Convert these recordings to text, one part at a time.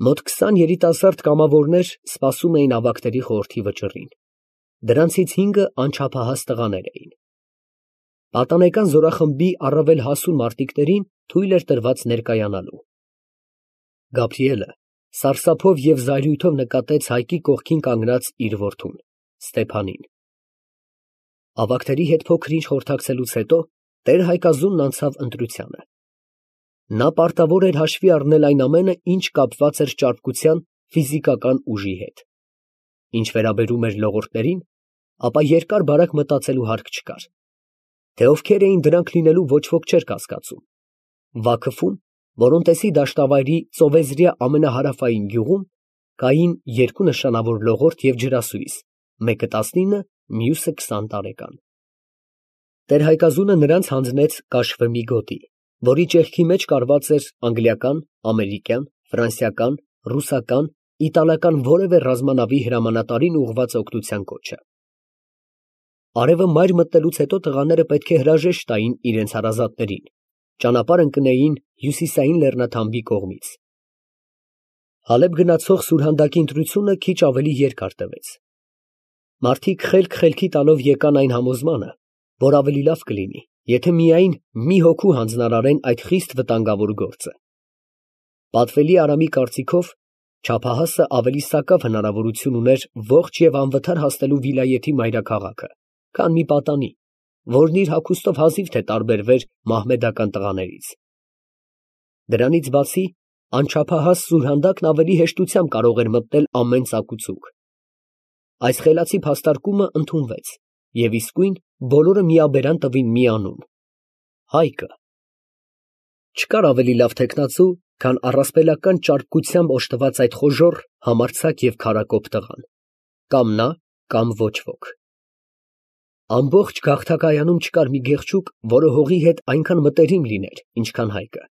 Մոտ 20 երիտասարդ կամավորներ սպասում էին ավագների խորհրդի վճռին, դրանցից 5-ը անչափահաս տղաներ էին։ Պատանեկան զորախմբի առավել հասուն մարտիկներին թույլ էր տրված ներկայանալու։ Գաբրիելը սարսափով և զայրույթով նկատեց Հայկի կողքին կանգնած իր որդուն Ստեփանին։ Ավագների հետ փոքր-ինչ խորհրդակցելուց հետո տեր Հայկազունն անցավ ընտրությանը։ Նա պարտավոր էր հաշվի առնել այն ամենը, ինչ կապված էր ճարպկության ֆիզիկական ուժի հետ։ Ինչ վերաբերում էր լողորդներին, ապա երկար֊բարակ մտածելու հարկ չկար, թե ովքեր էին դրանք լինելու ոչ ոք չէր կասկածում։ Վաքովում, Որոնտեսի դաշտավայրի ծովեզրյա ամենահարավային գյուղում, կային 2 նշանավոր լողորդ և ջրասույզ, մեկը 19, մյուսը 20 տարեկան։ Տեր Հայկազունը նրանց հանձնեց կաշվե մի գոտի, որի ճեղքի մեջ կարված էր անգլիական, ամերիկյան, ֆրանսիական, ռուսական, իտալական որևէ ռազմանավի հրամանատարին ուղղված օգնության կոչը։ Արևը մայր մտնելուց հետո տղաները պետք է հրաժեշտ տային իրենց հարազատներին, ճանապարհ ընկնեին հյուսիսային լեռնաթամբի կողմից։ Հալեբ գնացող սուրհանդակի ընտրությունը քիչ ավելի երկար տևեց։ Մարդիկ խելք-խելքի տալով եկան այն համոզմանը, որ ավելի լավ կլինի, եթե միայն մի հոգու հանձնարարեն այդ խիստ վտանգավոր գործը։ Պատվելի Արամի կարծիքով, չափահասը ավելի սակավ հնարավորություն ուներ ողջ և անվթար հասնելու վիլայեթի մայրաքաղաքը, քան մի պատանի, որն իր հագուստով հազիվ թե տարբերվեր մահմեդական տղաներից։ Դրանից բացի, անչափահաս սուրհանդակն ավելի հեշտությամբ կարող էր մտնել ամեն ծակուցուկ։ Այս խելացի փաստարկումը ընդունվեց, և իսկույն բոլորը միաբերան տվին մի անուն՝ Հայկը։ Չկար ավելի լավ թեկնածու, քան առասպելական ճարպկությամբ օժտված այդ խոժոռ, համարձակ և քարակոպ տղան, կամ նա, կամ ոչ ոք։ Ամբողջ գաղթակայանում չկար մի գեղչուկ, որը հողի հետ այնքան մտերիմ լիներ, ինչքան Հայկը,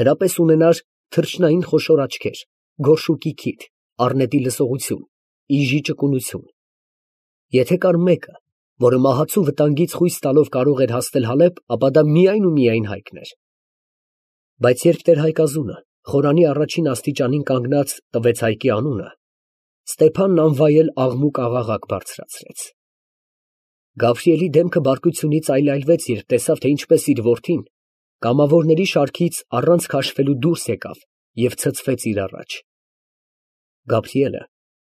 նրա պես ունենար թռչնային խոշոր աչքեր, գորշուկի քիթ, առնետի լսողություն, իժի ճկունություն։ Եթե կար մեկը, որը մահացու վտանգից խույս տալով կարող էր հասնել Հալեբ, ապա դա միայն ու միայն Հայկն էր։ Բայց երբ տեր Հայկազունը խորանի առաջին աստիճանին կանգնած տվեց Հայկի անունը, Ստեփանն անվայել աղմուկ֊աղաղակ բարձրացրեց։ Գավրիելի դեմքը բարկությունից այլայլվեց, երբ տեսավ, թե ինչպես իր որդին կամավորների շարքից առանց քաշվելու դուրս եկավ և ցցվեց իր առաջ։ Գաբրիելը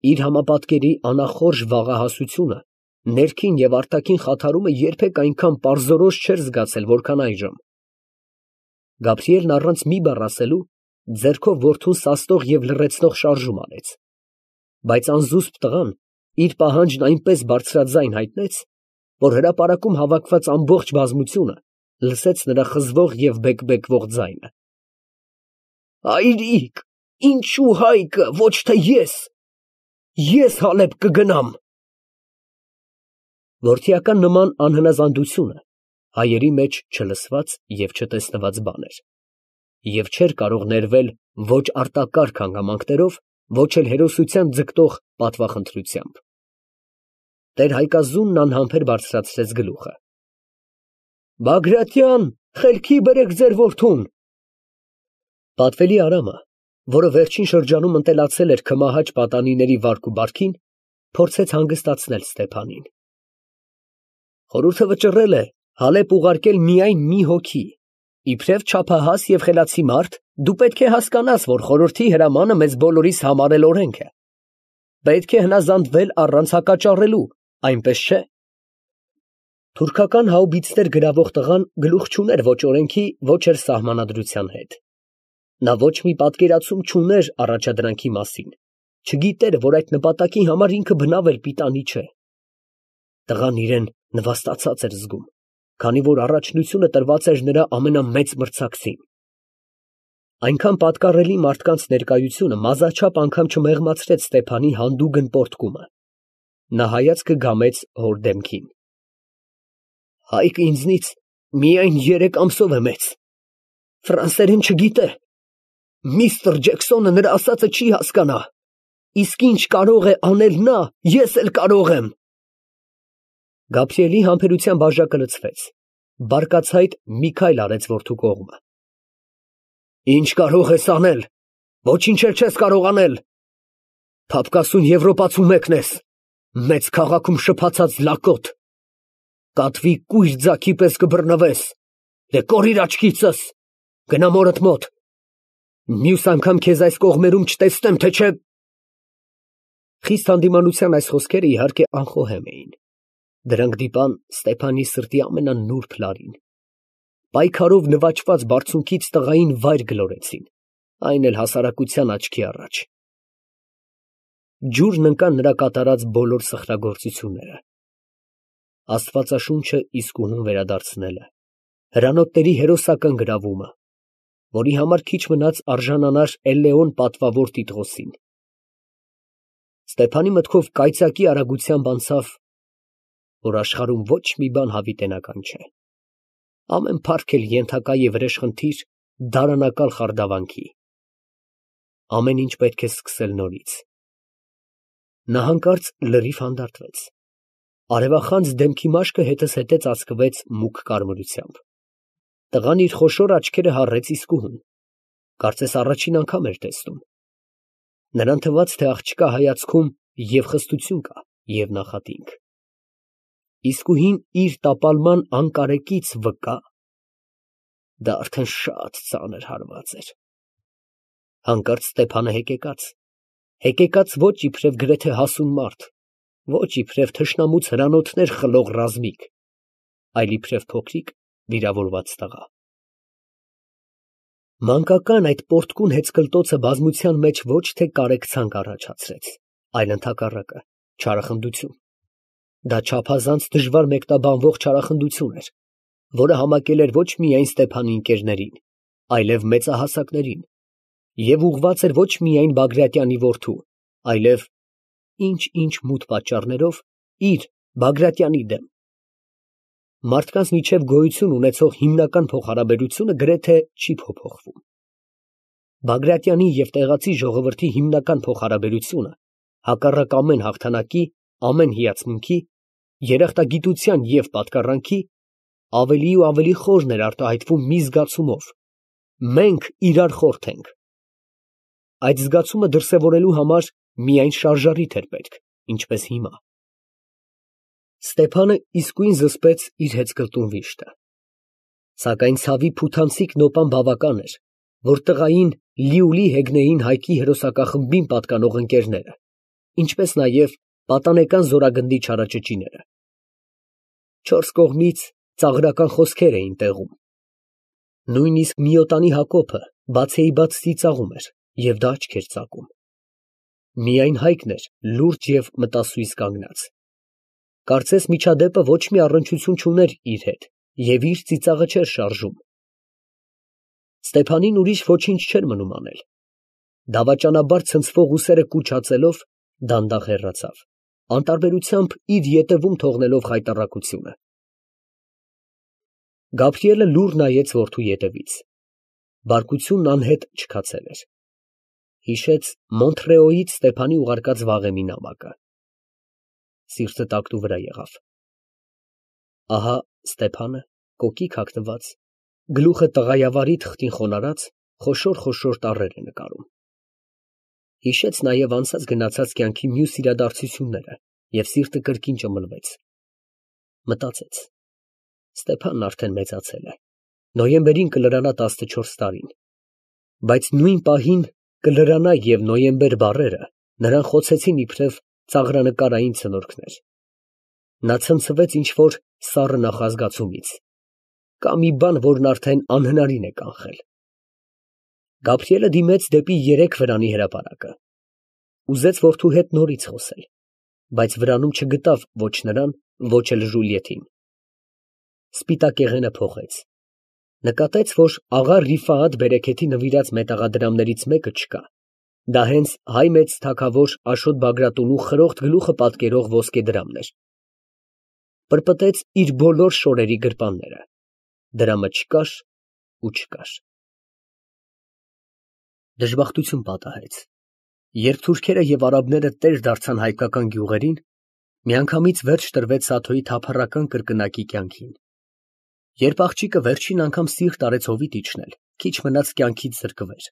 իր համապատկերի անախորժ վաղահասությունը, ներքին և արտաքին խաթարումը երբեք այնքան պարզորոշ չէր զգացել, որքան այժմ։ Գաբրիելն առանց մի բառ ասելու, ձեռքով որդուն սաստող և լռեցնող շարժում արեց, բայց անզուսպ տղան իր պահանջն այնպես բարձրաձայն հայտնեց, որ հրապարակում հավաքված ամբողջ բազմությունը լսեց նրա խզվող և բեկբեկվող ձայնը։ Հայրիկ, ինչու Հայկը, ոչ թե ես Հալեբ կգնամ։ Որդիական նման անհնազանդությունը հայերի մեջ չլսված և չտեսնված բան էր, և չէր կարող ներվել ոչ արտակարգ հանգամանքներով, ոչ էլ հերոսության ձգտող պատվախնդրությամբ։ Տեր Հայկազունն անհամբեր բարձրացրեց գլուխը։ Բագրատյան, խելքի բերեք ձեր որդուն։ Պատվելի Արամը, որը վերջին շրջանում ընտելացել էր քմահաճ պատանիների վարք ու բարքին, փորձեց հանգստացնել Ստեփանին։ Խորհուրդը վճռել է Հալեբ ուղարկել միայն մի հոգի, իբրև չափահաս և խելացի մարդ, դու պետք է հասկանաս, որ խորհրդի հրամանը մեզ բոլորիս համար էլ օրենք է։ Պետք է հնազանդվել առանց հակաճառելու, այնպես չէ։ Թուրքական հաուբիցներ գրավող տղան գլուխ չուներ ոչ օրենքի, ոչ էլ սահմանադրության հետ։ Նա ոչ մի պատկերացում չուներ առաջադրանքի մասին, չգիտեր, որ այդ նպատակի համար ինքը բնավ էլ պիտանի չէ։ Տղան իրեն նվաստացած էր զգում, քանի որ առաջնությունը տրված էր նրա ամենամեծ մրցակցին։ Այնքան պատկառելի մարդկանց ներկայությունը մազաչափ անգամ չմեղմացրեց Ստեփանի հանդուգն պոռթկումը։ Նա հայացքը գամեց հոր դեմքին։ Հայկը ինձնից միայն 3 ամսով է մեծ, ֆրանսերեն չգիտե, միստր Ջեքսոնը նրա ասածը չի հասկանա, իսկ ինչ կարող է անել նա, ես էլ կարող եմ։ Գաբրիելի համբերության բաժակը լցվեց, բարկացայդ մի քայլ արեց որդու կողմը։ Ինչ կարող ես անել, Ոչինչ էլ չես կարող անել։ Փափկասուն Եվրոպացու մեկն ես, մեծ քաղաքում շփացած լակոտ, կատվի կույր ձագի պես կբռնվես, դե կորիր աչքիցս, գնա մորդ մոտ, մյուս անգամ քեզ այս կողմերում չտեսնեմ, թե չէ… Խիստ հանդիմանության այս խոսքերը իհարկե անխոհեմ էին, դրանք դիպան Ստեփանի սրտի ամենանուրբ լարին, պայքարով նվաճված բարձունքից տղային վայր գլորեցին, այն էլ հասարակության աչքի առաջ… Ջուրն ընկան նրա կատարած բոլոր սխրագործությունները… Աստվածաշունչը իսկույն վերադարձնելը, հրանոթների հերոսական գրավումը, որի համար քիչ մնաց արժանանար Էլլեոն պատվավոր Տիտղոսին… Ստեփանի մտքով կայծակի արագությամբ անցավ, որ աշխարհում ոչ մի բան հավիտենական չէ, ամեն փառք էլ ենթակա է վրեժխնդիր դարանակալ խարդավանքի, ամեն ինչ պետք է սկսել նորից… Նա հանկարծ լրիվ հանդարտվեց, արևախանձ դեմքի մաշկը հետզհետե ծածկվեց մուգ կարմրությամբ, տղան իր խոշոր աչքերը հառեց իսկույն, կարծես առաջին անգամ էր տեսնում… Նրան թվաց, թե աղջկա հայացքում և խստություն կա, և նախատինք… Իսկույն իր տապալման անկարեկից վկա… Դա արդեն շատ ծանր հարված էր… Հանկարծ Ստեփանը հեկեկաց ոչ իբրև գրեթե հասուն մարդ, ոչ իբրև թշնամուց հրանոթներ խլող ռազմիկ, այլ իբրև փոքրիկ վիրավորված տղա… Մանկական այդ պոռթկուն հեծկլտոցը բազմության մեջ ոչ թե կարեկցանք առաջացրեց, այլ ընդհակառակը, չարախնդություն… Դա չափազանց դժվար մեկնաբանվող չարախնդություն էր, որը համակել էր ոչ միայն Ստեփանի ընկերներին, այլև մեծահասակներին, և ուղղված էր ոչ միայն Բագրատյանի որդու, այլև, ինչ֊ինչ մութ պատճառներով, իր Բագրատյանի դեմ… Մարդկանց միջև գոյություն ունեցող հիմնական փոխհարաբերությունը գրեթե չի փոփոխվում… Բագրատյանի և տեղացի ժողովրդի հիմնական փոխհարաբերությունը, հակառակ ամեն հաղթանակի, ամեն հիացմունքի, երախտագիտության և պատկառանքի, ավելի ու ավելի խորն էր արտահայտվում մի զգացումով. մենք իրար խորթ ենք… Այդ զգացումը դրսևորելու համար միայն շարժառիթ էր պետք, ինչպես հիմա… Ստեփանը իսկույն զսպեց իր հեծկլտուն վիշտը… Սակայն ցավի փութանցիկ նոպան բավական էր, որ տղային լիուլի հեգնեին Հայկի հերոսակախմբին պատկանող ընկերները, ինչպես նաև պատանեկան զորագնդի չարաճճիները… Չորս կողմից ծաղրական խոսքեր էին տեղում… Նույնիսկ Միոտանի Հակոբը բացեիբաց ծիծաղում էր և դա աչք էր ծակում… Միայն Հայկն էր լուրջ և մտասույզ կանգնած… Կարծես միջադեպը ոչ մի առնչություն չուներ իր հետ և իր ծիծաղը չէր շարժում… Ստեփանին ուրիշ ոչինչ չէր մնում անել… Դավաճանաբար ցնցվող ուսերը կուչացելով, դանդաղ հեռացավ, անտարբերությամբ իր ետևում թողնելով խայտառակությունը… Գաբրիելը լուռ նայեց որդու ետևից… Բարկությունն անհետ չքացել էր… Հիշեց Մոնթրեոյից Ստեփանի ուղարկած վաղեմի նամակը… Սիրտը տակտու վրա եղավ… Ահա Ստեփանը, կոկիկ հագնված, գլուխը տղայավարի թղթին խոնարհած, խոշոր տառեր է նկարում… Հիշեց նաև անցած գնացած կյանքի մյուս իրադարձությունները և սիրտը կրկին ճմլվեց… Մտածեց. Ստեփանն արդեն մեծացել է, նոյեմբերին կլրանա 14 տարին, բայց նույն պահին կլրանա և նոյեմբեր բառերը նրան խոցեցին իբրև ծաղրանկարային ցնորքներ… Նա ցնցվեց ինչ֊որ սառը նախազգացումից… Կա մի բան, որն արդեն անհնարին է կանխել… Գաբրիելը դիմեց դեպի 3 վրանի հրապարակը… Ուզեց որդու հետ նորից խոսել, բայց վրանում չգտավ ոչ նրան, ոչ էլ Ժուլիետին… Սպիտակեղենը փոխեց… Նկատեց, որ աղա Ռիֆայաթ բերեքեթի նվիրած մետաղադրամներից մեկը չկա… Դա հենց հայ մեծ թագավոր Աշոտ Բագրատունու խրոխտ գլուխը պատկերող ոսկե դրամն էր… Պրպտեց իր բոլոր շորերի գրպանները… Դրամը չկար ու չկար… Դժբախտություն պատահեց, երբ թուրքերը և արաբները տեր դարձան հայկական գյուղերին, միանգամից վերջ տրվեց Սաթոյի թափառական կրկնակի կյանքին… Երբ աղջիկը վերջին անգամ սիրտ արեց հովիտ իջնել, քիչ մնաց կյանքից զրկվեր…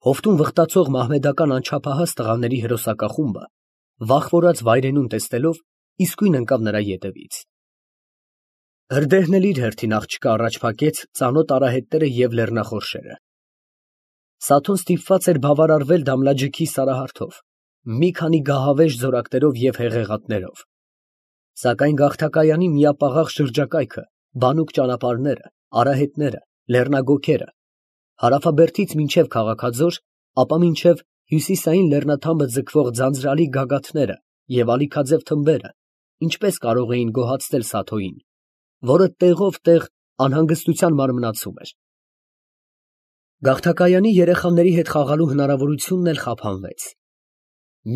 Հովտում վխտացող մահմեդական անչափահաս տղաների հրոսակախումբը, վախվորած վայրենուն տեսնելով, իսկույն ընկավ նրա ետևից։ Հրդեհն էլ իր հերթին աղջկա առաջ փակեց ծանոթ արահետները և լեռնախորշերը։ Սաթոն ստիպված էր բավարարվել Դամլաջիքի սարահարթով, մի քանի գահավեժ զորակներով և հեղեղատներով։ Սակայն գաղթակայանի միապաղաղ շրջակայքը, բանուկ ճանապարհները, արահետները, լեռնագոգերը, հարավաբերդից մինչև քաղաքաձոր, ապա մինչև հյուսիսային լեռնաթամբը ձգվող ձանձրալի գագաթները և ալիքաձև թմբերը ինչպես կարող էին գոհացնել Սաթոյին, որը տեղով տեղ անհանգստության մարմնացում էր։ Գաղթակայանի երեխաների հետ խաղալու հնարավորությունն էլ խափանվեց։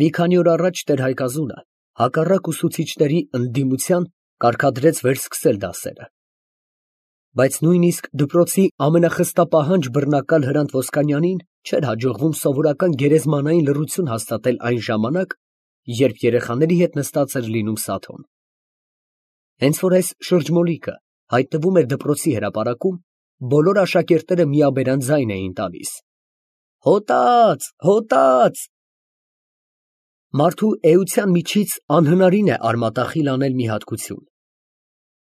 Մի քանի օր առաջ տեր֊Հայկազունը հակառակ ուսուցիչների ընդդիմության կարգադրեց վերսկսել դասերը։ Բայց նույնիսկ դպրոցի ամենախստապահանջ բռնակալ Հրանտ Ոսկանյանին չէր հաջողվում սովորական գերեզմանային լռություն հաստատել այն ժամանակ, երբ երեխաների հետ նստած էր լինում Սաթոն։ Հենց որ այս շրջմոլիկը հայտնվում էր դպրոցի հրապարակում, բոլոր աշակերտները միաբերան ձայն էին տալիս. «Հոտած, հոտած»։ Մարդու էության միջից անհնարին է արմատախիլ անել մի հատկություն։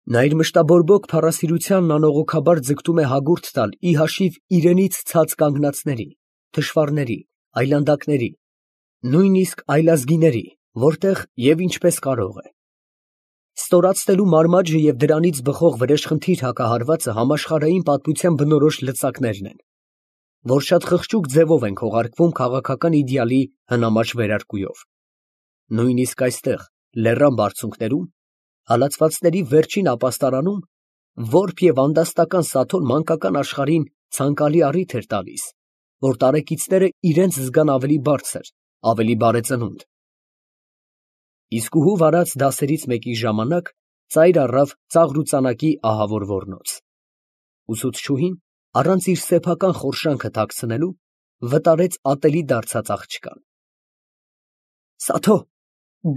Նա իր մշտաբորբոք փառասիրությանն անողոքաբար ձգտում է հագուրդ տալ ի հաշիվ իրենից ցած կանգնածների, թշվառների, այլանդակների, նույնիսկ այլազգիների, որտեղ և ինչպես կարող է։ Ստորացնելու մարմաջը և դրանից բխող վրեժխնդիր հակահարվածը համաշխարհային պատմության բնորոշ լծակներն են, որ շատ խղճուկ ձևով են քողարկվում քաղաքական իդեալի հնամաշ վերարկուով։ Նույնիսկ այստեղ, լեռան բարձունքներում, հալածվածների վերջին ապաստարանում, որբ և անդաստական Սաթոն մանկական աշխարհին ցանկալի առիթ էր տալիս, որ տարեկիցները իրենց զգան ավելի բարձր, ավելի բարեծնունդ։ Իսկուհու վարած դասերից մեկի ժամանակ ծայր առավ ծաղրուծանակի ահավոր ոռնոց։ Ուսուցչուհին, առանց իր սեփական խորշանքը թաքցնելու, վտարեց ատելի դարձած աղջկան։ Սաթո,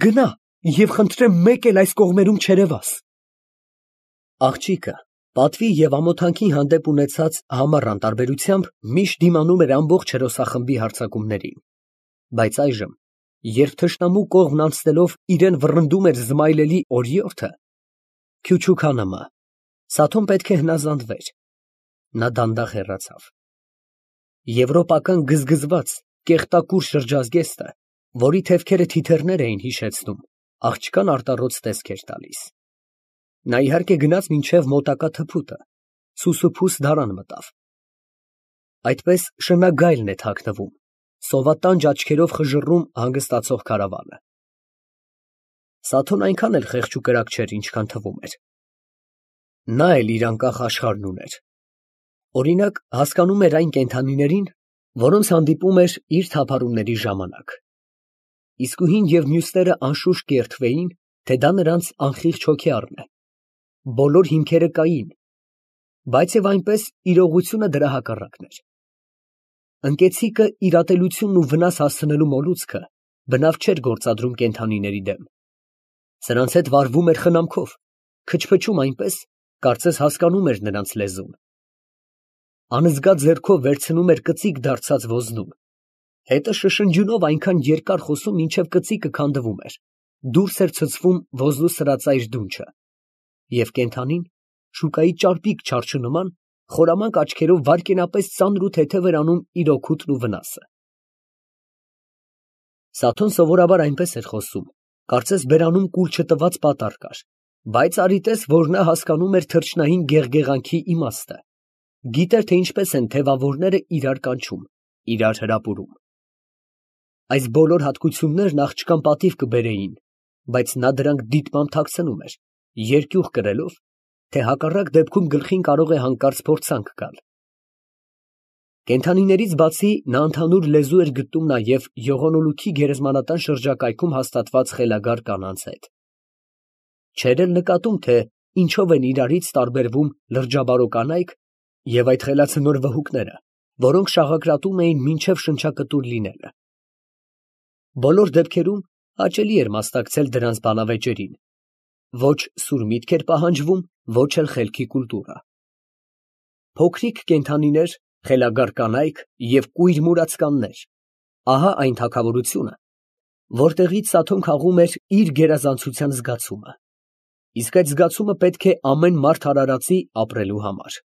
գնա և խնդրեմ մեկ էլ այս կողմերում չերևաս։ Աղջիկը պատվի և ամոթանքի հանդեպ ունեցած համառ անտարբերությամբ միշտ դիմանում էր ամբողջ հերոսախմբի հարձակումներին, բայց այժմ, երբ թշնամու կողմն անցնելով իրան վռնդում էր զմայլելի օրիորդը, Քյուչուքանմը, Սաթոն պետք է հնազանդվեր։ Նա դանդաղ հեռացավ։ Եվրոպական գզգզված, կեղտակուր շրջազգեստը, որի թևքերը թիթեռներ էին հիշեցնում, աղջկան արտառոց տեսք էր տալիս։ Նա իհարկե գնաց մինչև մոտակա թփուտը, սուսուփուս դարան մտավ։ Այդպես շնագայլն է թաքնվում, սովատանջ աչքերով խժռում հանգստացող քարավանը։ Սաթոն այնքան էլ խեղճ ու կրակ չէր, ինչքան թվում էր։ Նա էլ իր անկախ աշխարհն ուներ։ Օրինակ, հասկանում էր այն կենդանիներին, որոնց հանդիպում էր իր թափառումների ժամանակ։ Իսկուհին և մյուսները անշուշտ կերթվեին, թե դա նրանց անխիղճ հոգեառն է։ Բոլոր հիմքերը կային, բայց և այնպես իրողությունը դրա հակառակն էր։ Ընկեցիկը իր ատելությունն ու վնաս հասցնելու մոլուցքը բնավ չէր գործադրում կենդանիների դեմ։ Սրանց հետ վարվում էր խնամքով, քչփչում այնպես, կարծես հասկանում էր նրանց լեզուն։ Անզգա ձեռքով վերցնում էր կծիկ դարձած ոզնում, հետը շշնջյունով այնքան երկար խոսում, մինչև կծիկը քանդվում էր, դուրս էր ցցվում ոզնու սրածայր դունչը, և կենդանին, շուկայի ճարպիկ չարչու նման, խորամանկ աչքերով վայրկենապես ծանր ու թեթև էր անում իր օգուտն ու վնասը։ Սաթոն սովորաբար այնպես էր խոսում, կարծես բերանում կուլ չտված պատառ կար, բայց արի տես, որ նա հասկանում էր թռչնային գեղգեղանքի իմաստը, գիտեր, թե ինչպես են թևավորները իրար կանչում, իրար հրապուրում։ Այս բոլոր հատկություններն աղջկան պատիվ կբերեին, բայց նա դրանք դիտմամբ թաքցնում էր, երկյուղ կրելով, թե հակառակ դեպքում գլխին կարող է հանկարծ փորձանք գալ։ Կենդանիներից բացի նա ընդհանուր լեզու էր գտնում նաև եղունոլուքի գերեզմանատան շրջակայքում հաստատված խելագար կանանց հետ։ Չէր էլ նկատում, թե ինչով են իրարից տարբերվում լրջաբարո կանայք և այդ խելացնոր վհուկները, որոնք շաղակրատում էին մինչև շնչակտուր լինելը։ Բոլոր դեպքերում հաճելի էր մասնակցել դրանց բանավեճերին, ոչ սուր միտք էր պահանջվում, ոչ էլ խելքի կուլտուրա։ Փոքրիկ կենդանիներ, խելագար կանայք և կույր մուրացկաններ, ահա այն թագավորությունը, որտեղից Սաթոն քաղում էր իր գերազանցության զգացումը, իսկ այդ զգացումը պետք է ամեն մարդ արարածի ապրելու համար։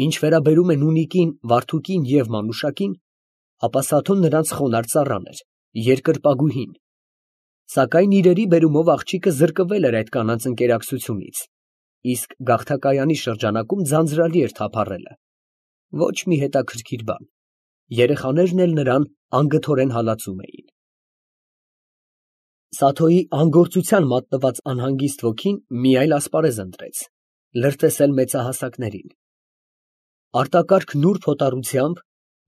Ինչ վերաբերում է Նունիկին, Վարդուկին և Մանուշակին, ապա Սաթոն նրանց խոնարհ ծառան էր, երկրպագուհին, սակայն իրերի բերումով աղջիկը զրկվել էր այդ կանանց ընկերակցությունից, իսկ գաղթակայանի շրջանակում ձանձրալի էր թափառելը, ոչ մի հետաքրքիր բան, երեխաներն էլ նրան անգթորեն հալածում էին։ Սաթոյի անգործության մատնված անհանգիստ ոգին մի այլ ասպարեզ ընտրեց, լրտեսել մեծահասակներին։ Արտակարգ նուրբ հոտառությամբ,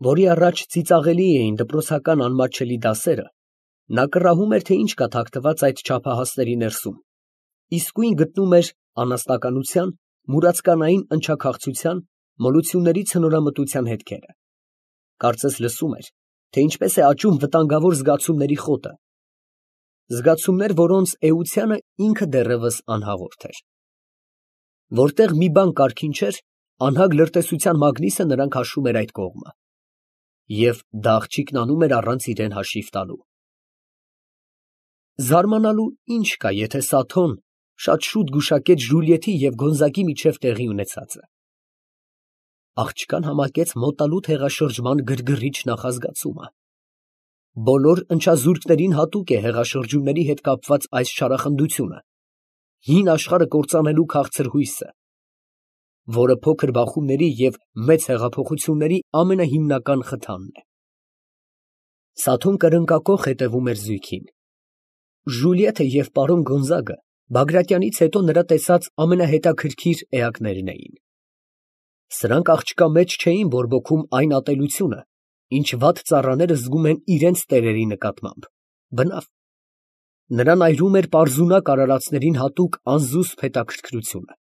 որի առաջ ծիծաղելի էին դպրոցական անմատչելի դասերը, նա կռահում էր, թե ինչ կա թաքնված այդ չափահասների ներսում, իսկույն գտնում էր անասնականության, մուրացկանային ընչաքաղցության, մոլությունների ցնորամտության հետքերը, կարծես լսում էր, թե ինչպես է աճում վտանգավոր զգացումների խոտը, զգացումներ, որոնց էությանը ինքը դեռևս անհաղորդ էր։ Որտեղ մի բան կարգին չէր, անհագ լրտեսության մագնիսը նրան քաշում էր այդ կողմը, և դա աղջիկն անում էր առանց իրան հաշիվ տալու։ Զարմանալու ինչ կա, եթե Սաթոն շատ շուտ գուշակեց Ժուլիեթի և Գոնզագի միջև տեղի ունեցածը։ Աղջկան համակեց մոտալուտ հեղաշրջման գրգռիչ նախազգացումը։ Բոլոր ընչազուրկներին հատուկ է հեղաշրջումների հետ կապված այս չարախնդությունը, հին աշխարհը կործանելու քաղցր հույսը, որը փոքր բախումների և մեծ հեղափոխությունների ամենահիմնական խթանն է։ Սաթոն կրնկակոխ հետևում էր զույգին։ Ժուլիեթը և պարոն Գոնզագը Բագրատյանից հետո նրա տեսած ամենահետաքրքիր էակներն էին։ Սրանք աղջկա մեջ չէին բորբոքում այն ատելությունը, ինչ վատ ծառաները զգում են իրենց տերերի նկատմամբ, բնավ, նրան այրում էր պարզունակ արարածներին հատուկ անզուսպ հետաքրքրությունը։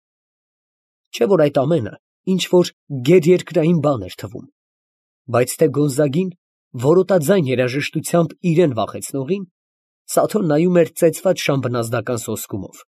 Չէ՞ որ այդ ամենը ինչ֊որ գերերկրային բան էր թվում, բայց թե Գոնզագին, որոտաձայն երաժշտությամբ իրան վախեցնողին, Սաթոն նայում էր ծեծված շան բնազդական սոսկումով։